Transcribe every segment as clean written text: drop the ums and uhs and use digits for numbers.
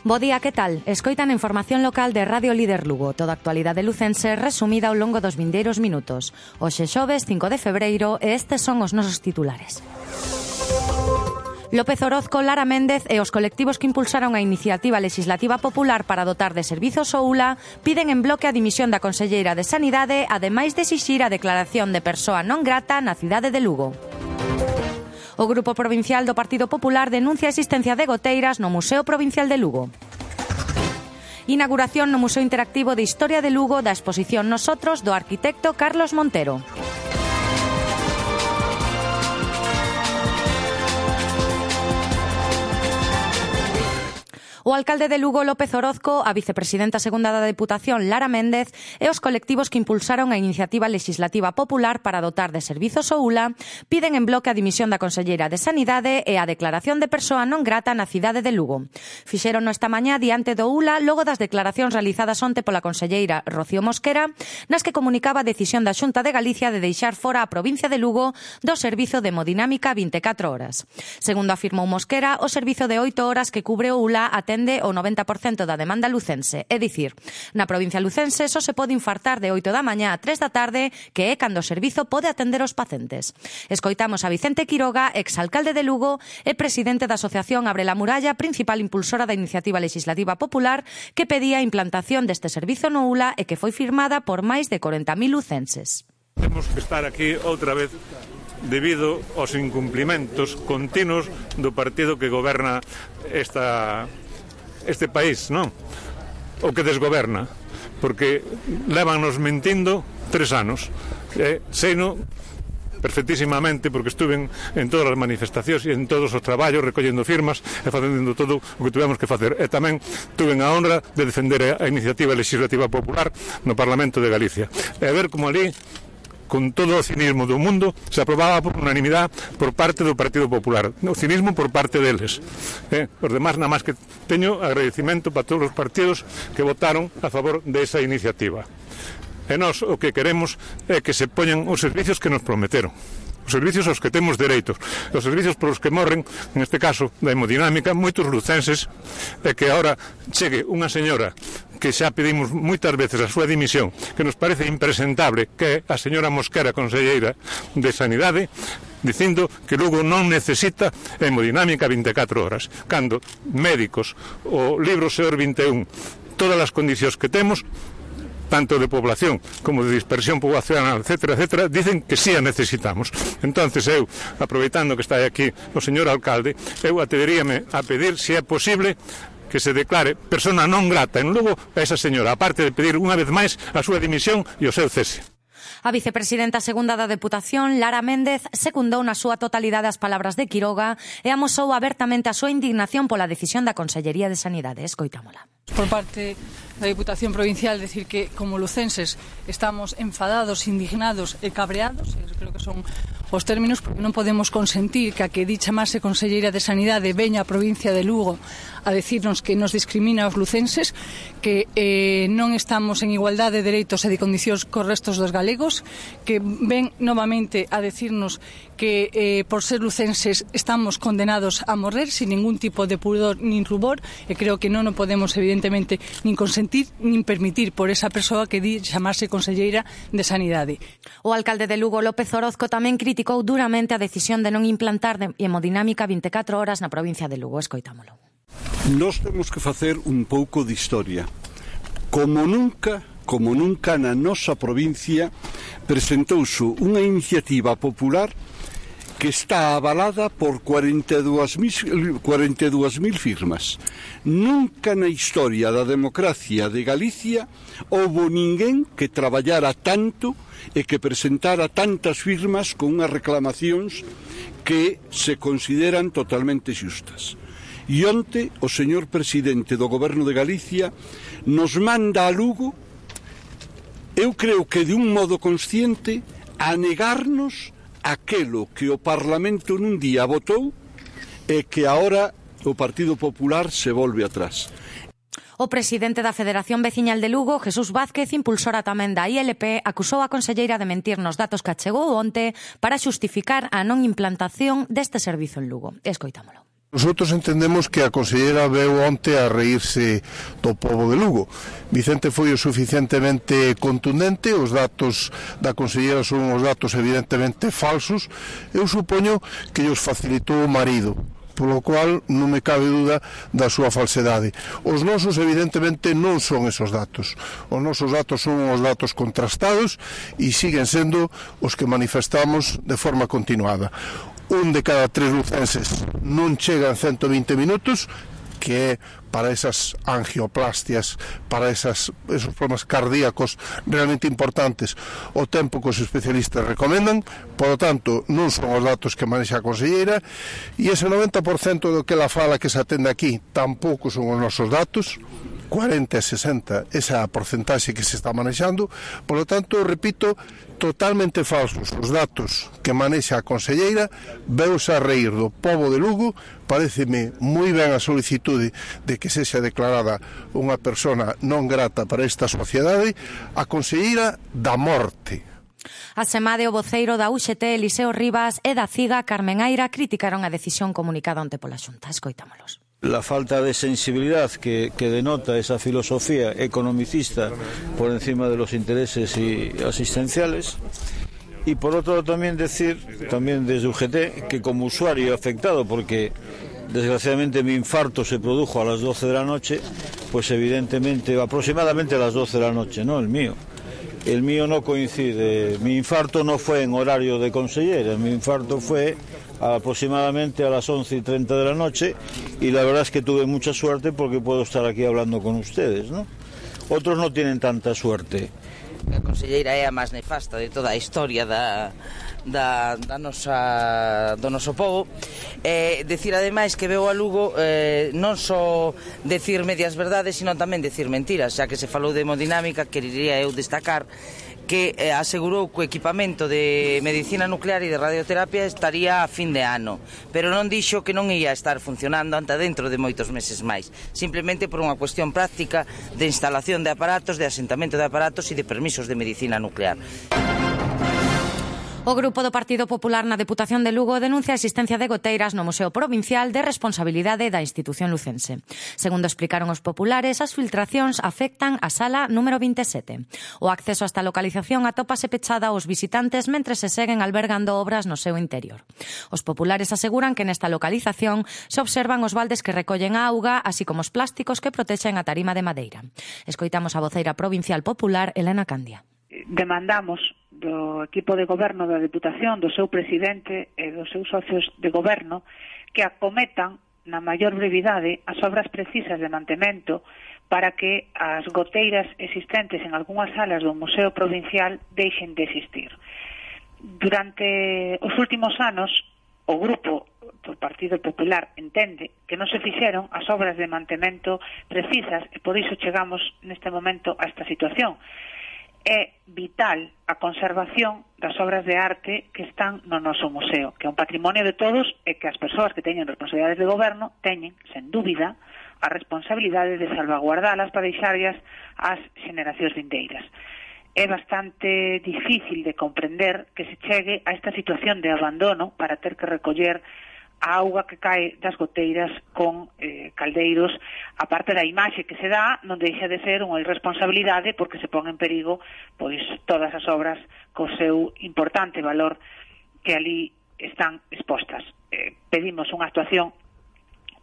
Bo día, que tal? Escoitan a información local de Radio Líder Lugo. Toda a actualidade lucense resumida ao longo dos vindeiros minutos. Hoxe xoves 5 de febreiro e estes son os nosos titulares. López Orozco, Lara Méndez e os colectivos que impulsaron a iniciativa legislativa popular para dotar de servizos o ULA piden en bloque a dimisión da conselleira de Sanidade, ademais de exixir a declaración de persoa non grata na cidade de Lugo. O Grupo Provincial do Partido Popular denuncia a existencia de goteiras no Museo Provincial de Lugo. Inauguración no Museo Interactivo de Historia de Lugo da exposición Nosotros do arquitecto Carlos Montero. O alcalde de Lugo, López Orozco, a vicepresidenta segunda da Deputación, Lara Méndez, e os colectivos que impulsaron a iniciativa legislativa popular para dotar de servizos o ULA piden en bloque a dimisión da conselleira de Sanidade e a declaración de persoa non grata na cidade de Lugo. Fixérono esta mañá diante do ULA logo das declaracións realizadas onte pola conselleira Rocío Mosquera, nas que comunicaba a decisión da Xunta de Galicia de deixar fora a provincia de Lugo do servizo de hemodinámica 24 horas. Segundo afirmou Mosquera, o servizo de 8 horas que cubre o ULA atende o 90% da demanda lucense. É dicir, na provincia lucense só se pode infartar de 8 da mañá a 3 da tarde, que é cando o servizo pode atender os pacientes. Escoitamos a Vicente Quiroga, exalcalde de Lugo e presidente da Asociación Abre la Muralla, principal impulsora da iniciativa legislativa popular, que pedía a implantación deste servizo no ULA e que foi firmada por máis de 40.000 lucenses. Temos que estar aquí outra vez debido aos incumplimentos continuos do partido que goberna este país, non? O que desgoberna, porque lévanos mentindo 3 anos. Seino perfectísimamente, porque estuve en todas as manifestacións e en todos os traballos recollendo firmas e facendo todo o que tivemos que facer. E tamén tuve a honra de defender a iniciativa legislativa popular no Parlamento de Galicia. E a ver como ali, con todo o cinismo do mundo, se aprobaba por unanimidade por parte do Partido Popular. O cinismo por parte deles. Os demás, nada máis que teño agradecimento para todos os partidos que votaron a favor desa iniciativa. E nós o que queremos é que se poñan os servicios que nos prometeron. Os servicios aos que temos dereitos. Os servicios por os que morren, neste caso, da hemodinámica, moitos lucenses, e que agora chegue unha señora que xa pedimos moitas veces a súa dimisión, que nos parece impresentable, que é a señora Mosquera, conselleira de Sanidade, dicindo que Lugo non necesita hemodinámica 24 horas, cando médicos, o libro SEOR 21, todas as condicións que temos, tanto de población como de dispersión poblacional, etcétera, dicen que sí a necesitamos. Entonces eu, aproveitando que está aquí o señor alcalde, eu atreveríame a pedir, se é posible, que se declare persona non grata en Lugo a esa señora, aparte de pedir unha vez máis a súa dimisión e o seu cese. A vicepresidenta segunda da Deputación, Lara Méndez, secundou na súa totalidade as palabras de Quiroga e amosou abertamente a súa indignación pola decisión da Consellería de Sanidade. Escoitámola. Por parte da Diputación Provincial, decir que como lucenses estamos enfadados, indignados e cabreados, creo que son os términos, porque non podemos consentir que a que di chamase Conselleira de Sanidade veña a provincia de Lugo a decirnos que nos discrimina aos lucenses, que non estamos en igualdade de dereitos e de condicións cos restos dos galegos, que ven novamente a decirnos que por ser lucenses estamos condenados a morrer sin ningún tipo de pudor nin rubor, e creo que non o podemos evidentemente nin consentir nin permitir por esa persoa que di chamarse Conselleira de Sanidade. O alcalde de Lugo, López Orozco, tamén criticou duramente a decisión de non implantar hemodinámica 24 horas na provincia de Lugo. Escoitámolo. Nós temos que facer un pouco de historia. Como nunca na nosa provincia presentouse unha iniciativa popular que está avalada por 42.000 firmas. Nunca na historia da democracia de Galicia houbo ninguén que traballara tanto e que presentara tantas firmas con unhas reclamacións que se consideran totalmente xustas. E onte o señor presidente do Goberno de Galicia nos manda a Lugo, eu creo que de un modo consciente, a negarnos aquelo que o Parlamento nun día votou e que agora o Partido Popular se volve atrás. O presidente da Federación Veciñal de Lugo, Jesús Vázquez, impulsora tamén da ILP, acusou a conselleira de mentir nos datos que achegou onte para xustificar a non implantación deste servizo en Lugo. Escoitámolo. Nosotros entendemos que a conselleira veu onte a reírse do pobo de Lugo. Vicente foi o suficientemente contundente, os datos da conselleira son os datos evidentemente falsos. Eu supoño que os facilitou o marido, polo cual non me cabe duda da súa falsedade. Os nosos evidentemente non son esos datos. Os nosos datos son os datos contrastados e siguen sendo os que manifestamos de forma continuada. Un de cada 3 lucenses non chega en 120 minutos, que é para esas angioplastias, para esos problemas cardíacos realmente importantes, o tempo que os especialistas recomendan. Por lo tanto, non son os datos que manexa a conselleira, e ese 90% do que ela fala que se atende aquí tampouco son os nosos datos. 40 e 60, esa é a porcentaxe que se está manexando. Por lo tanto, repito, totalmente falsos os datos que manexa a conselleira. Veus a reír do pobo de Lugo. Paréceme moi ben a solicitude de que sexa declarada unha persona non grata para esta sociedade, a conselleira da morte. A semade, o voceiro da UGT, Eliseo Rivas, e da CIGA, Carmen Aira, criticaron a decisión comunicada onte pola Xunta. Escoitámolos. La falta de sensibilidad que denota esa filosofía economicista por encima de los intereses asistenciales. Y por otro lado también decir, también desde UGT, que como usuario afectado, porque desgraciadamente mi infarto se produjo a las 12 de la noche, pues evidentemente aproximadamente a las 12 de la noche, ¿no? El mío no coincide, mi infarto no fue en horario de consellera, mi infarto fue aproximadamente a las 11:30 de la noche, y la verdad es que tuve mucha suerte porque puedo estar aquí hablando con ustedes, ¿no? Otros no tienen tanta suerte. A conselleira é a máis nefasta de toda a historia do noso povo. Decir ademais que veo a Lugo non só decir medias verdades, sino tamén decir mentiras. Xa que se falou de hemodinámica, querería eu destacar que asegurou que o equipamento de medicina nuclear e de radioterapia estaría a fin de ano, pero non dixo que non ia estar funcionando ante dentro de moitos meses máis, simplemente por unha cuestión práctica de instalación de aparatos, de asentamento de aparatos e de permisos de medicina nuclear. O grupo do Partido Popular na Deputación de Lugo denuncia a existencia de goteiras no Museo Provincial de responsabilidade da institución lucense. Segundo explicaron os populares, as filtracións afectan a sala número 27. O acceso a esta localización atópase pechada aos visitantes mentre se seguen albergando obras no seu interior. Os populares aseguran que nesta localización se observan os baldes que recollen a auga, así como os plásticos que protexen a tarima de madeira. Escoitamos a voceira provincial popular, Elena Candia. Demandamos do equipo de goberno da Deputación, do seu presidente e dos seus socios de goberno que acometan na maior brevidade as obras precisas de mantemento para que as goteiras existentes en algunhas salas do Museo Provincial deixen de existir. Durante os últimos anos, o grupo do Partido Popular entende que non se fixeron as obras de mantemento precisas e por iso chegamos neste momento a esta situación. É vital a conservación das obras de arte que están no noso museo, que é un patrimonio de todos e que as persoas que teñen responsabilidades de goberno teñen, sen dúbida, a responsabilidade de salvaguardalas para deixarlas ás xeneracións vindeiras. É bastante difícil de comprender que se chegue a esta situación de abandono para ter que recoller a auga que cae das goteiras con caldeiros. A parte da imaxe que se dá, non deixa de ser unha irresponsabilidade porque se pon en perigo pois todas as obras co seu importante valor que ali están expostas. Pedimos unha actuación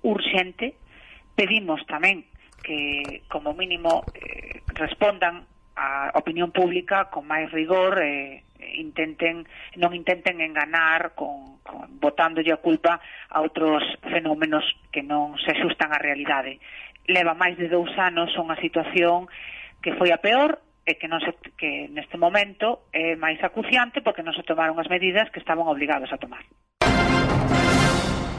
urxente, pedimos tamén que como mínimo respondan a opinión pública con máis rigor, non intenten enganar botándolle a culpa a outros fenómenos que non se axustan á realidade. Leva máis de 2 anos unha situación que foi a peor e que neste momento é máis acuciante porque non se tomaron as medidas que estaban obligados a tomar.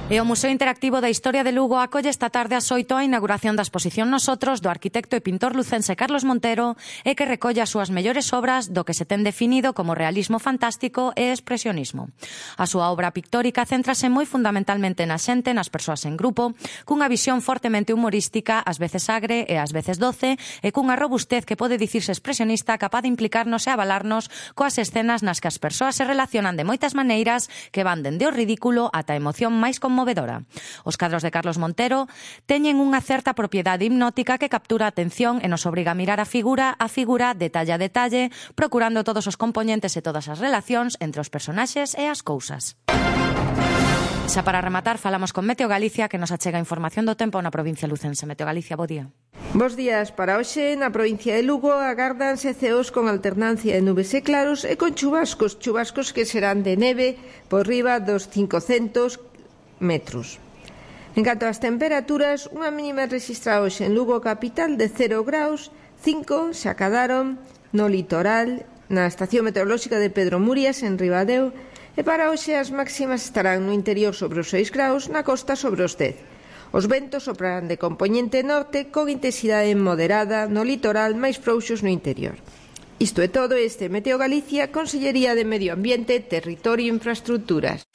E o Museo Interactivo da Historia de Lugo acolle esta tarde ás 8 a inauguración da exposición Nosotros do arquitecto e pintor lucense Carlos Montero e que recolle as súas mellores obras do que se ten definido como realismo fantástico e expresionismo. A súa obra pictórica céntrase moi fundamentalmente na xente, nas persoas en grupo, cunha visión fortemente humorística, ás veces agre e ás veces doce, e cunha robustez que pode dicirse expresionista capaz de implicarnos e avalarnos coas escenas nas que as persoas se relacionan de moitas maneiras que van dende o ridículo ata a emoción máis conmovedora. conmovedora. Os cadros de Carlos Montero teñen unha certa propiedade hipnótica que captura a atención e nos obriga a mirar a figura, detalle a detalle, procurando todos os componentes e todas as relacións entre os personaxes e as cousas. Xa para rematar, falamos con Meteo Galicia, que nos achega información do tempo na provincia lucense. Meteo Galicia, bo día. Bos días. Para hoxe, na provincia de Lugo, agárdanse ceos con alternancia de nubes e claros e con chubascos que serán de neve por riba dos 500 metros. En canto ás temperaturas, unha mínima registrada hoxe en Lugo capital de 0 graus, 5 se acadaron no litoral, na estación meteorolóxica de Pedro Murias, en Ribadeo, e para hoxe as máximas estarán no interior sobre os 6 graus, na costa sobre os 10. Os ventos soprarán de compoñente norte con intensidade moderada no litoral, máis frouxos no interior. Isto é todo. Este Meteo Galicia, Consellería de Medio Ambiente, Territorio e Infraestructuras.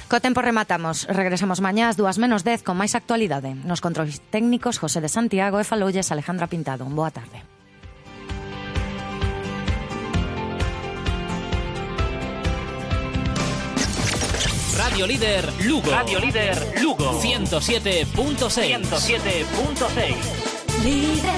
Co tempo rematamos. Regresamos mañá ás 2:10 con máis actualidade. Nos controis técnicos, José de Santiago, e faloulles Alejandra Pintado. Boa tarde. Radio Líder Lugo. Radio Líder Lugo. 107.6. 107.6. Líder.